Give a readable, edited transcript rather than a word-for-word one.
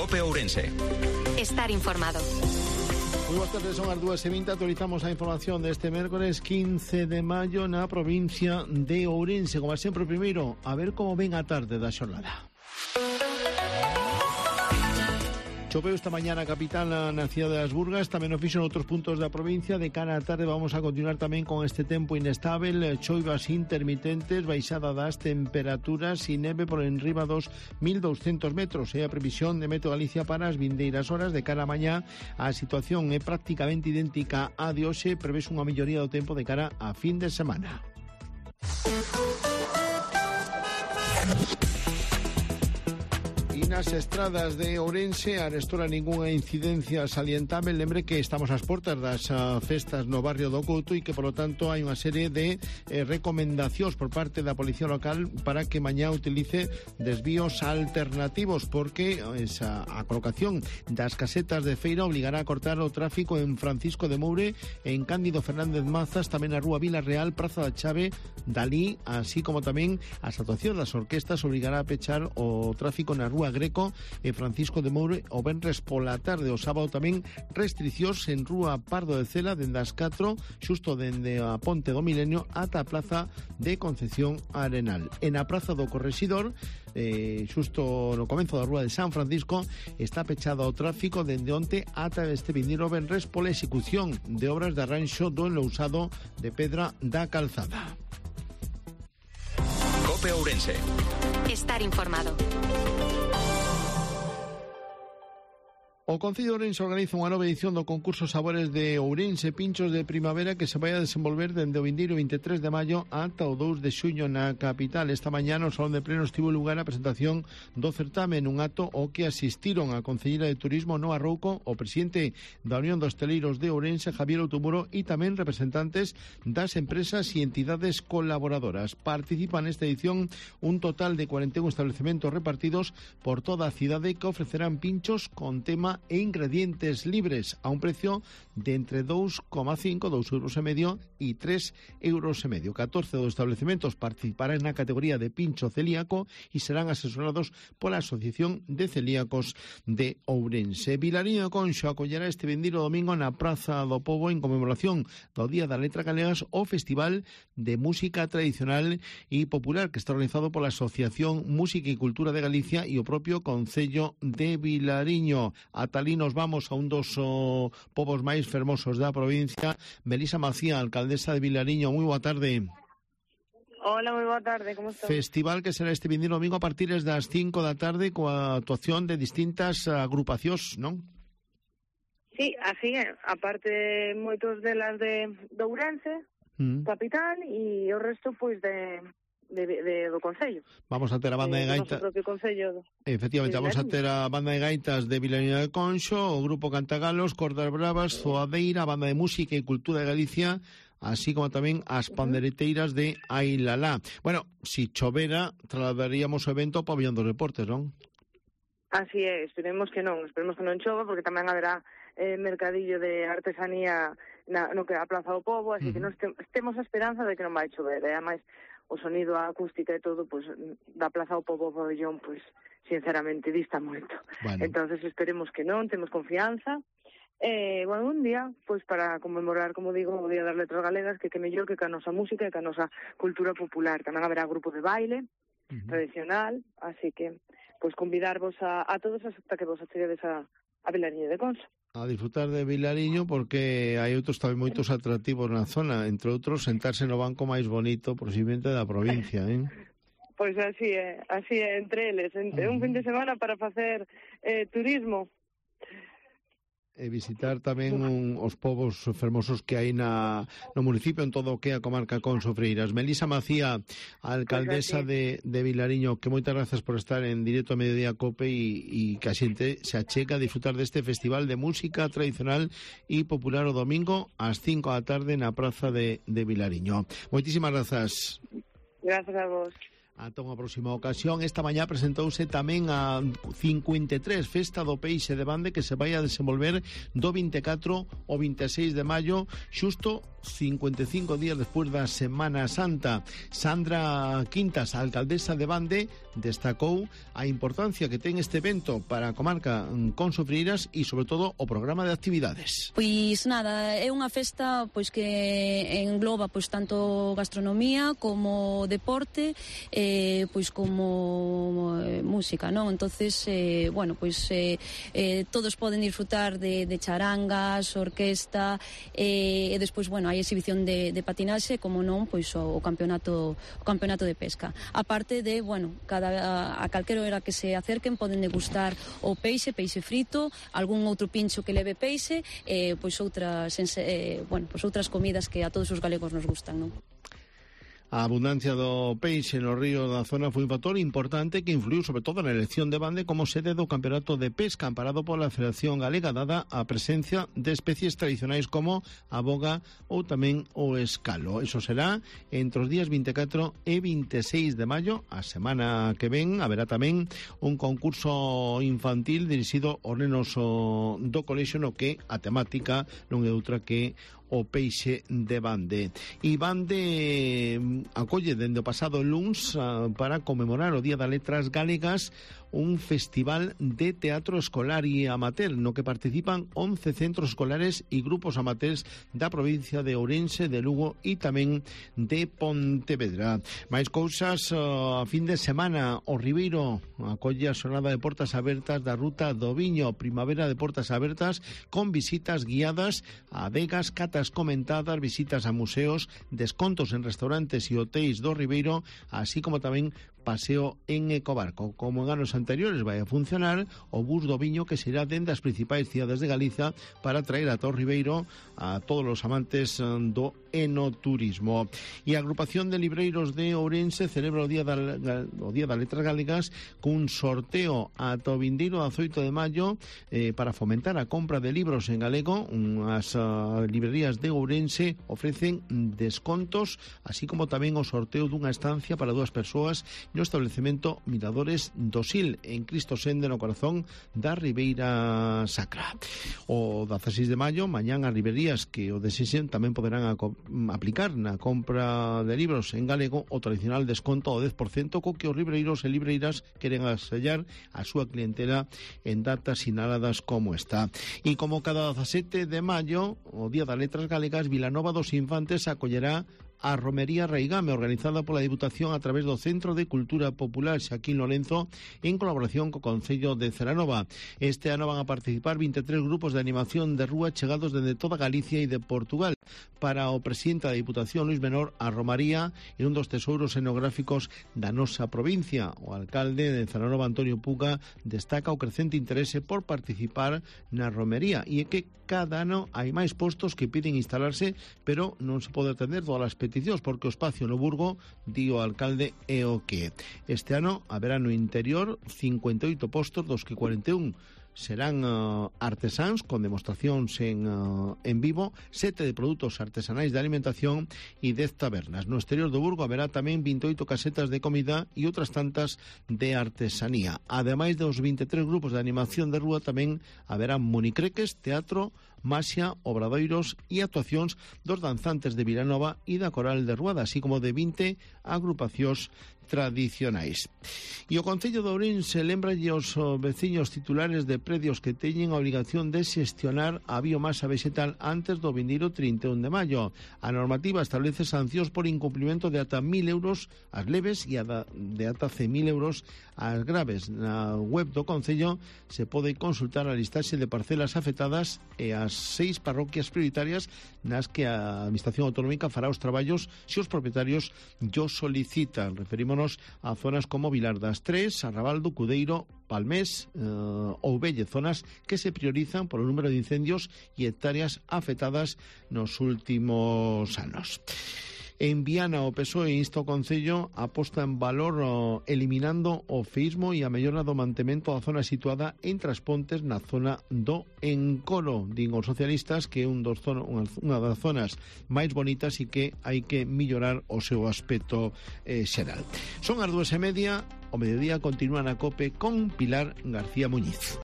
COPE Ourense. Estar informado. Moi boas tardes, son as 2:20. Actualizamos a información deste mércores 15 de maio na provincia de Ourense. Como sempre, primeiro, a ver como ven a tarde da xornada. Choveu esta mañá na capital, na cidade das Burgas, tamén o fixo noutros puntos da provincia. De cara á tarde vamos a continuar tamén con este tempo inestável, choivas intermitentes, baixada das temperaturas e neve por enriba dos 1.200 metros. É a previsión de Meteo Galicia para as vindeiras horas. De cara a mañá, a situación é prácticamente idéntica á de hoxe. Prevés unha melloría do tempo de cara a fin de semana. Nas estradas de Ourense arestora ningunha incidencia salientável. Lembre que estamos ás portas das festas no barrio do Couto e que, polo tanto, hai unha serie de recomendacións por parte da Policía Local para que mañá utilice desvíos alternativos, porque a colocación das casetas de feira obligará a cortar o tráfico en Francisco de Moure, en Cándido Fernández Mazas, tamén a Rúa Vila Real, Praza da Chave, Dalí, así como tamén a actuación das orquestas obligará a pechar o tráfico na Rúa Greco e Francisco de Moure o venres pola tarde. O sábado tamén restriccións en Rúa Pardo de Cela dende as 4, xusto dende a Ponte do Milenio ata a Plaza de Concepción Arenal. En a Praza do Correxidor, xusto no comezo da Rúa de San Francisco, está pechado o tráfico dende onte ata este vindeiro venres pola execución de obras de arranxo do enlousado de pedra da calzada. COPE Ourense. Estar informado. O Concello de Ourense organiza unha nova edición do concurso Sabores de Ourense Pinchos de Primavera, que se vai a desenvolver dende o vindeiro 23 de maio ata o 2 de xuño na capital. Esta mañá no Salón de Plenos tivo lugar a presentación do certame, nun acto ao que asistiron a Concelleira de Turismo Noa Rouco, o presidente da Unión dos Hosteleiros de Ourense, Javier Outumuro, e tamén representantes das empresas e entidades colaboradoras. Participan nesta edición un total de 41 establecementos repartidos por toda a cidade que ofrecerán pinchos con tema e ingredientes libres a un precio de entre 2,5, 2,5 € e 3,5 €. 14 dos establecementos participarán na categoría de pincho celíaco e serán asesorados pola Asociación de Celíacos de Ourense. Vilariño de Conxo acollerá este vindeiro domingo na Praza do Pobo, en conmemoración do Día da Letra Galegas, o Festival de Música Tradicional e Popular, que está organizado pola Asociación Música e Cultura de Galicia e o propio Concello de Vilariño. Ata alí nos vamos a un dos povos máis fermosos da provincia. Melisa Macía, alcaldesa de Vilariño, moi boa tarde. Hola, moi boa tarde, como estás? Festival que será este vindeiro domingo a partir das 5 da tarde coa actuación de distintas agrupacións, non? Sí, así é. Aparte, moitos delas de Ourense, capital, e o resto, pois, do Concello. Vamos a ter a banda de gaitas. Efectivamente, vamos a ter a banda de gaitas de Vilariño de Conxo, o grupo Cantagalos, Cordas Bravas, Zoadeira, a banda de Música e Cultura de Galicia, así como tamén as pandereteiras de Ailalá. Bueno, si chovera, trasladaríamos o evento ao pabellón dos deportes, non? Así é, esperemos que non chova, porque tamén haberá mercadillo de artesanía no que a Plaza do Pobo, así que non temos a esperanza de que non vai chover, e ademais o sonido, a acústica e todo, pois, da Plaza do Pobo ao pabellón, pois, sinceramente, dista moito. Bueno. Entonces esperemos que non, temos confianza. Bueno, un día, pois, para conmemorar, como digo, o Día das Letras Galegas, que mellor que a nosa música e que a nosa cultura popular. Tamén haberá grupo de baile tradicional, así que, pois, convidarvos a todos hasta que vos acheguedes a Vilariño de Conxo. A disfrutar de Vilariño, porque hai outros tamén moitos atractivos na zona, entre outros sentarse no banco máis bonito posiblemente da provincia, Pois así é, entre eles, un fin de semana para facer turismo. E visitar tamén os povos fermosos que hai no municipio, en todo o que é a comarca Conxo Freiras. Melisa Macía, alcaldesa de Vilariño, que moitas grazas por estar en directo a Mediodía Cope e que a xente se achega a disfrutar deste festival de música tradicional e popular o domingo ás 5 da tarde na Praza de Vilariño. Moitísimas grazas. Gracias a vos. Ata unha próxima ocasión. Esta mañá presentouse tamén a 53 Festa do Peixe de Bande, que se vai a desenvolver do 24 ao 26 de maio, xusto 55 días despois da Semana Santa. Sandra Quintas, a alcaldesa de Bande, destacou a importancia que ten este evento para a comarca consofreiras e, sobre todo, o programa de actividades. Pois nada, é unha festa pois que engloba pois tanto gastronomía como deporte, pois como música, non? Entonces, bueno, pois todos poden disfrutar de charangas, orquesta, e despois, bueno, hai exhibición de patinaxe, como non, pois o campeonato de pesca. A parte de, bueno, a calquera hora que se acerquen poden degustar o peixe frito, algún outro pincho que leve peixe, pois outras comidas que a todos os galegos nos gustan, non? A abundancia do peixe no río da zona foi un factor importante que influiu sobre todo na elección de Bande como sede do campeonato de pesca amparado pola Federación Galega, dada a presencia de especies tradicionais como a boga ou tamén o escalo. Eso será entre os días 24 e 26 de maio. A semana que ven haberá tamén un concurso infantil dirixido aos nenos do colexio, no que a temática non é outra que o peixe de Bande. E Bande acolle dende o pasado luns para conmemorar o Día das Letras Galegas un festival de teatro escolar e amateur no que participan 11 centros escolares e grupos amateurs da provincia de Ourense, de Lugo e tamén de Pontevedra. Mais cousas, a fin de semana o Ribeiro acolle a xornada de portas abertas da Ruta do Viño, primavera de portas abertas con visitas guiadas a adegas, catas comentadas, visitas a museos, descontos en restaurantes e hotéis do Ribeiro, así como tamén paseo en ecobarco. Como en anos anteriores vai a funcionar o bus do viño que será dende as principais cidades de Galiza para traer a todo Ribeiro a todos os amantes do enoturismo. E a agrupación de libreiros de Ourense celebra o Día das Letras Galegas cun sorteo ata o vindeiro 18 de maio para fomentar a compra de libros en galego. As librerías de Ourense ofrecen descontos, así como tamén o sorteo dunha estancia para 2 persoas no establecemento Miradores do Sil, en Cristo Sende, no corazón da Ribeira Sacra. O 16 de maio, mañán as librerías que o desexen tamén poderán aplicar na compra de libros en galego o tradicional desconto ao 10% co que os libreiros e libreiras queren asellar a súa clientela en datas sinaladas como esta. E como cada 17 de maio, o Día das Letras Galegas, Vilanova dos Infantes acollerá a Romería Raigame, organizada pola Diputación a través do Centro de Cultura Popular Xaquín Lorenzo, en colaboración co Concello de Celanova. Este ano van a participar 23 grupos de animación de rúa chegados dende toda Galicia e de Portugal. Para o presidente da Diputación, Luis Menor, a Romaría é un dos tesouros etnográficos da nosa provincia. O alcalde de Celanova, Antonio Puga, destaca o crecente interese por participar na romería e é que cada ano hai máis postos que piden instalarse, pero non se pode atender todas as peticións porque o espacio no Burgo, di o alcalde, é o que. Este ano haberá no interior 58 postos, dos que 41 serán artesáns con demostracións en vivo, 7 de produtos artesanais de alimentación e 10 tabernas. No exterior do Burgo haberá tamén 28 casetas de comida e outras tantas de artesanía. Ademais dos 23 grupos de animación de rúa, tamén haberá monicreques, teatro, maxia, obradoiros e actuacións dos danzantes de Vilanova e da Coral de Ruada, así como de 20 agrupacións tradicionais. E o Concello de Ourense lembralle aos veciños titulares de predios que teñen a obrigación de xestionar a biomasa vegetal antes do vindeiro 31 de maio. A normativa establece sancións por incumplimento de ata 1.000 euros as leves e de ata 100.000 euros as graves. Na web do Concello se pode consultar a listaxe de parcelas afectadas e as 6 parroquias prioritarias nas que a Administración Autonómica fará os traballos se os propietarios yo solicitan. Referímonos a zonas como Vilar das Tres, Arrabaldo, Cudeiro, Palmés ou Velle, zonas que se priorizan polo número de incendios e hectáreas afectadas nos últimos anos. En Viana, o PSOE insta o Concello a posta en valor eliminando o feísmo e a mellora do mantemento da zona situada entre as pontes na zona do Encoro. Din os socialistas que é unha das zonas máis bonitas e que hai que mellorar o seu aspecto xeral. Son as 2:30, o mediodía continúa na COPE con Pilar García Muñiz.